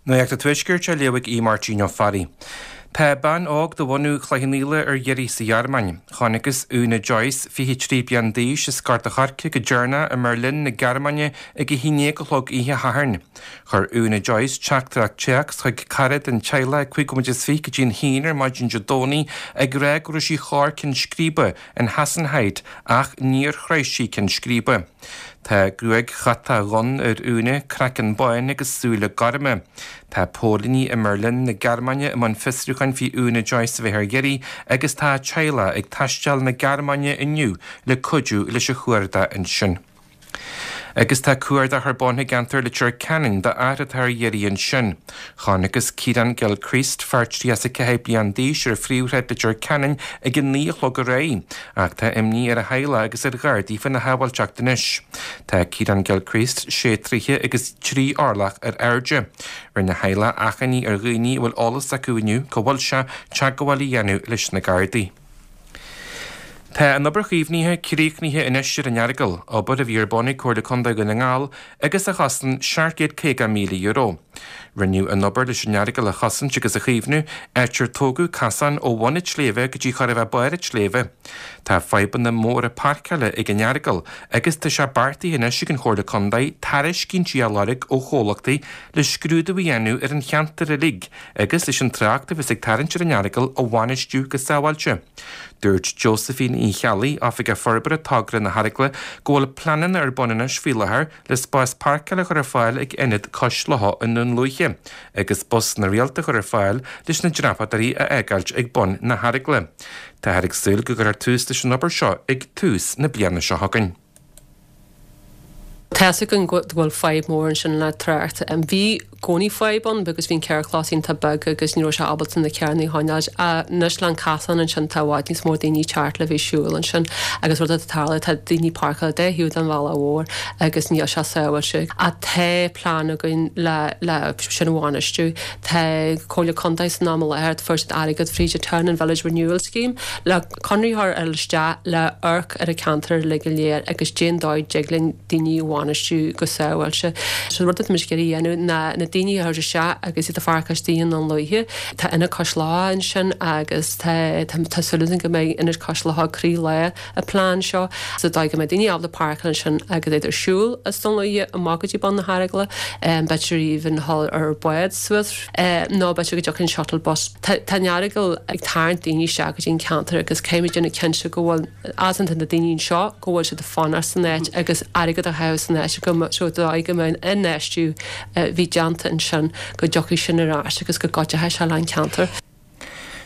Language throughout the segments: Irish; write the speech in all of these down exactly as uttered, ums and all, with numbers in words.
Nuacht an Tuaiscirt á léamh ag Aodh Máirtín Ó Fearraigh. Tá bean óg de bhunadh Chloich Cheann Fhaola ar iarraidh sa Ghearmáin. Chonacthas Úna Joyce, fiche trí bliain d'aois, as Gort a' Choirce go deireanach i mBerlin na Gearmáine ag a haon déag a chlog oíche Shathairn. Chuir Úna Joyce teachtaireacht téacs chuig cara den teaghlach ag cúig nóiméad is fiche go dtí an haon ar maidin Dé Domhnaigh ag rá go raibh sí chor ceann scríbe in Hasenheide ach níor shroich sí ceann scríbe. Tá gruaig chatach dhonn ar Úna, craiceann bán agus súile gorma. Tá póilíní i mBerlin na Gearmáine i mbun fiosrúcháin faoi Úna Joyce a bheith ar iarraidh agus tá a teaghlach ag taisteal na Gearmáine inniu le cuidiú leis an chuardach ansin. Agus tá cuardach ar bun i gceantar Leitir Ceanainn d'fhear atá ar iarraidh ansin. Chonacthas Ciarán Gilchrist, fear tríocha a ceathair bliain d'aois ar phríomhshráid Leitir Ceanainn ag a naoi a chlog aréir, ach tá imní ar a theaghlach agus ar Ghardaí faoina shábháilteacht anois. Tá Ciarán Gilchrist sé troithe agus trí orlach ar airde. Rinne a theaghlach achainí ar dhaoine a bhfuil eolas acu inniu cá bhfuil sé teagmháil a dhéanamh leis na Gardaí. Tá an obair chaomhnaithe críochnaithe anois ar an Earagail, obair a bhí ar bun ag Comhairle Contae Dhún na nGall agus a chosain seacht gcéad caoga míle euro. Rinneadh an obair leis an Earagail a chosaint agus a chaomhnú, áit ar tógadh casán ó bhun an tsléibhe go dtí chor a bheith barr an tsléibhe. Tá fadhbanna móra páirceála ag an Earagail agus tá sé beartaithe anois ag an Chomhairle Contae tairiscintí a lorg ó chomhlachtaí le scrúdú a dhéanamh ar an cheantar uilig agus leis an trácht a bheas ag tarraingt ar an Earagail a bhainistiú go sábháilte. Dúirt Josephine Uí Cheallaigh, Oifigeach Forbartha Togra na hEaragaile, go bhfuil pleananna ar bun anois faoi láthair le spás páirceála a chur ar fáil ag ionad Cois Locha i nDún Lúiche, agus busanna rialta a chur ar fáil leis na dreapadóirí a fhágáilt ag bun na hEaragaile. Táthar ag súil go gcuirfear tús leis an obair seo ag tús na bliana seo chugainn. Tá againn go bhfuil fadhb mór ansin le trácht. Bhí i gcónaí fadhb ann because bhí an carrchlós iontach beag agus ní raibh sé ábalta na carranna a choinneáil. Anois le an casán ansin tá i bhfad níos mó daoine teacht le bheith siúl ansin agus rud atá tarla tá daoine páirceáilte de thaobh den bhealach mhór agus níl sé sábháilte. Ach tá plean againn le le sin a bhainistiú. Tá Comhairle Contae san am i láthair fuair siad airgead fríd an Town and Village Renewal Scheme le conradh a chur isteach le amharc ar an ceantar le go léir agus cén dóigh dtig linn daoine a bhainistiú go sábháilte. So rud atá muid ag iarraidh a dhéanamh ná na daoine a chur isteach agus iad a pháirceáil istigh i nDún Lúiche. Tá Ionad Cois Locha ansin agus tá tá súil againn go mbeidh Ionad Cois Locha croílár an plean seo. So dóigh go mbeidh daoine ábalta páirceáil ansin agus iad ar siúl as Dún Lúiche amach go dtí bun na hEaragaile, b'fhéidir even dhul ar bád suas nó b'fhéidir go dtiocfaidh an shuttle bus. Tá an Earagail ag tarraingt daoine isteach go dtí an ceantar agus caithfimid déanamh cinnte go bhfuil asanta na daoine anseo go bhfuil siad ag fanacht san áit agus airgead a chaitheamh san áit go so dóigh go mbeidh an infheistiú bhí déanta ansin go dtiocfaidh sin ar ais agus go gcuideoidh sé le an ceantar.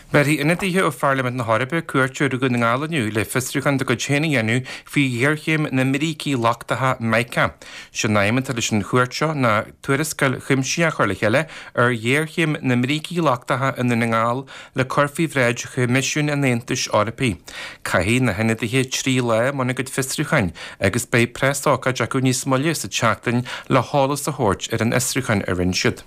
Bhéarfaidh ionadaithe ó Pharlaimint na hEorpa cuairt ar Dhún na nGall inniu le fiosrúchán dá gcuid féin a dhéanamh faoi ghéarchéim na mbrící lochtacha mica. Sin aidhm atá leis an chuairt seo ná tuarascáil chuimsitheach a chur le chéile ar ghéarchéim na mbrící lochtacha i nDún na nGall le cur faoi bhráid Choimisiún an Aontais Eorpaigh. Caithfidh na hionadaithe trí lá i mbun a gcuid fiosrúcháin agus beidh preasócáid acu níos moille sa tseachtain le heolas a thabhairt ar an fhiosrúchán a rinne siad.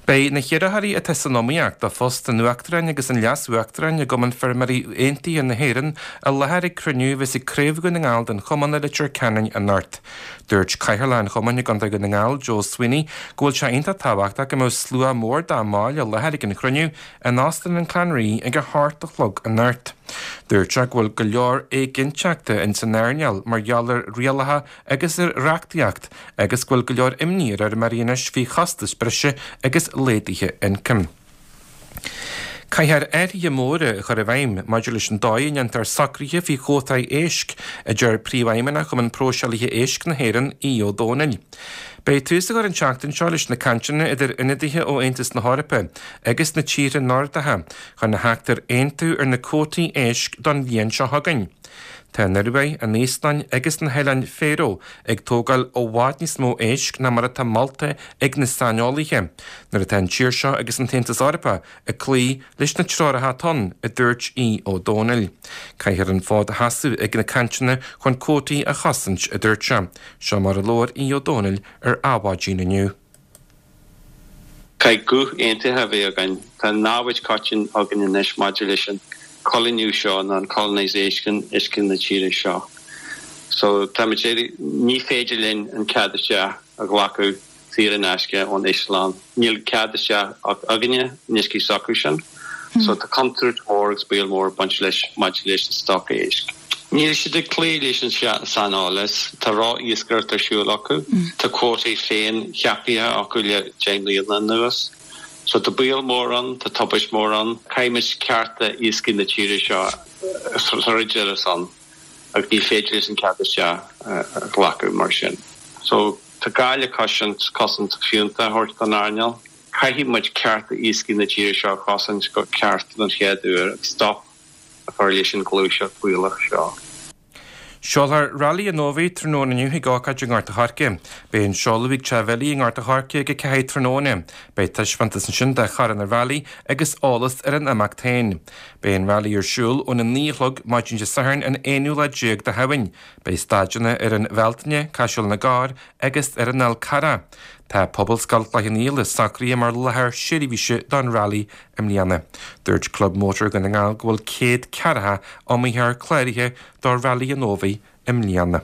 Beidh na hiarrthóirí atá san iomaíocht do phost an Uachtaráin agus an Leas-Uachtaráin i gCumann Feirmeoirí Aontaithe na hÉireann i láthair ag cruinniú a bheas ag Craobh Dhún na nGall den Chumann i Leitir Ceanainn anocht. Dúirt Cathaoirleach an Chumainn i gContae Dhún na nGall, Joe Sweeney, go bhfuil sé iontach tábhachtach go mbeadh slua mór dá mbaill i láthair ag an chruinniú in Óstán an Clanree ag a hocht a chlog anocht. Dúirt sé go bhfuil go leor éiginnteachta in san earnáil mar gheall ar rialacha agus ar reachtaíocht agus go bhfuil go leor imní ar fheirmeoirí anois faoi chostais breise agus laghduithe ioncaim. Caithfear athruithe móra a chur i bhfeidhm maidir leis an dóigh a ndéantar socruithe faoi chuótaí éisc, a deir Príomhfheidhmeannach Chumann Próiseálaithe Éisc na hÉireann, Aodh Ó Dónaill. Beidh tús á chur an tseachtain seo leis na cainteanna idir ionadaithe ó Aontas na hEorpa agus na tíortha Nordacha chun a theacht ar aontú ar na cuótaí éisc don bhliain seo chugainn. Tá an Ioruaidh, an Íoslainn agus na hOileáin Faroe ag tógáil i bhfad níos mó éisc ná mar atá molta ag na saineolaithe, nuair atá an tír seo agus an tAontas Eorpach ag cloí leis na treoracha atá ann, a dúirt Aodh Ó Dónaill. Caithfear an fód a sheasamh ag na cainteanna chun cuótaí a chosaint, a dúirt sé. Seo mar a labhair Aodh Ó Dónaill ar Adhmhaidin inniu. Caithfidh guth aontaithe a bheith againn. Tá namhaid coiteann againn anois maidir leis an coilíniú seo nó an colonisation uisce na tíre seo. So táimid ní féidir linn an cead isteach a ghlacadh saor in aisce ón Íoslainn. Níl cead isteach againne in uiscí s'acusan. So tá contúirt mhór agus baol mór ag baint leis maidir leis an stoc éisc. Níl siad ag cloí leis an saineolas, tá ró-iascaireacht ar siúl acu, tá cuótaí féin ceaptha acu le deich mbliana anuas. So tá baol mór ann, tá tubaist mór ann, caithfimid cearta iascaigh na tíre seo a throid ar a son agus ní féidir leis an cead isteach a ghlacadh mar sin. So tá gá le cosaint cosaint fiúntach a thabhairt don earnáil. Caithfidh muid cearta iascaigh na tíre seo a chosaint go ceart don chéad uair agus stop a chur leis an ghluaiseacht bhaolach seo. Seolfar Railí an Fhómhair tráthnóna inniu ag ócáid i nGort a' Choirce. Beidh an seoladh ag Teach Bhilly i nGort a' Choirce ag a ceathair tráthnóna. Beidh taispeántas ansin de charranna railí agus eolas ar an imeacht féin. Beidh an railí ar siúl óna naoi a chlog maidin Dé Sathairn an aonú lá déag de Shamhain. Beidh staideanna ar an Bhealtaine, Caiseal na gCarr agus ar an Fhál Carrach. Tá Pobalscoil Chloich Cheann Fhaola socraithe mar láthair seirbhíse don railí i mbliana. Dúirt Club Mótar Dhún na nGall go bhfuil céad ceathracha iomaitheoir cláraithe do Railí an Fhómhair i mbliana.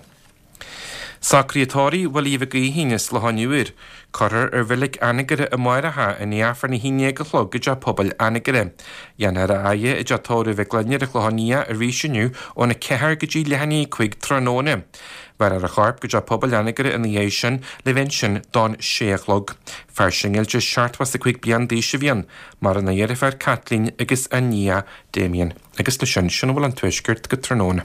Socruithe tórraimh Willie Mhic Aoidhín as Loch an Iúir. Cuirfear i Reilig Anagaire amárach é i ndiaidh Aifreann a haon déag a chlog i dteach pobail Anagaire. Dhéanfar a fhaire i dteach tórraimh Mhic Gloinn ar an Chlochán Liath arís inniu óna ceathair go dtí leath i ndiaidh a cúig tráthnóna. Bhéarfar a chorp go dteach pobail Anagaire ina dhiaidh sin le bheith ansin don sé a chlog. Fear singilte seachtó is a cúig bliain d'aois a bhí ann, maireann a dheirfiúr Caitlín agus a nia Damien. Agus leis sin sin a bhfuil ón Tuaisceart go tráthnóna.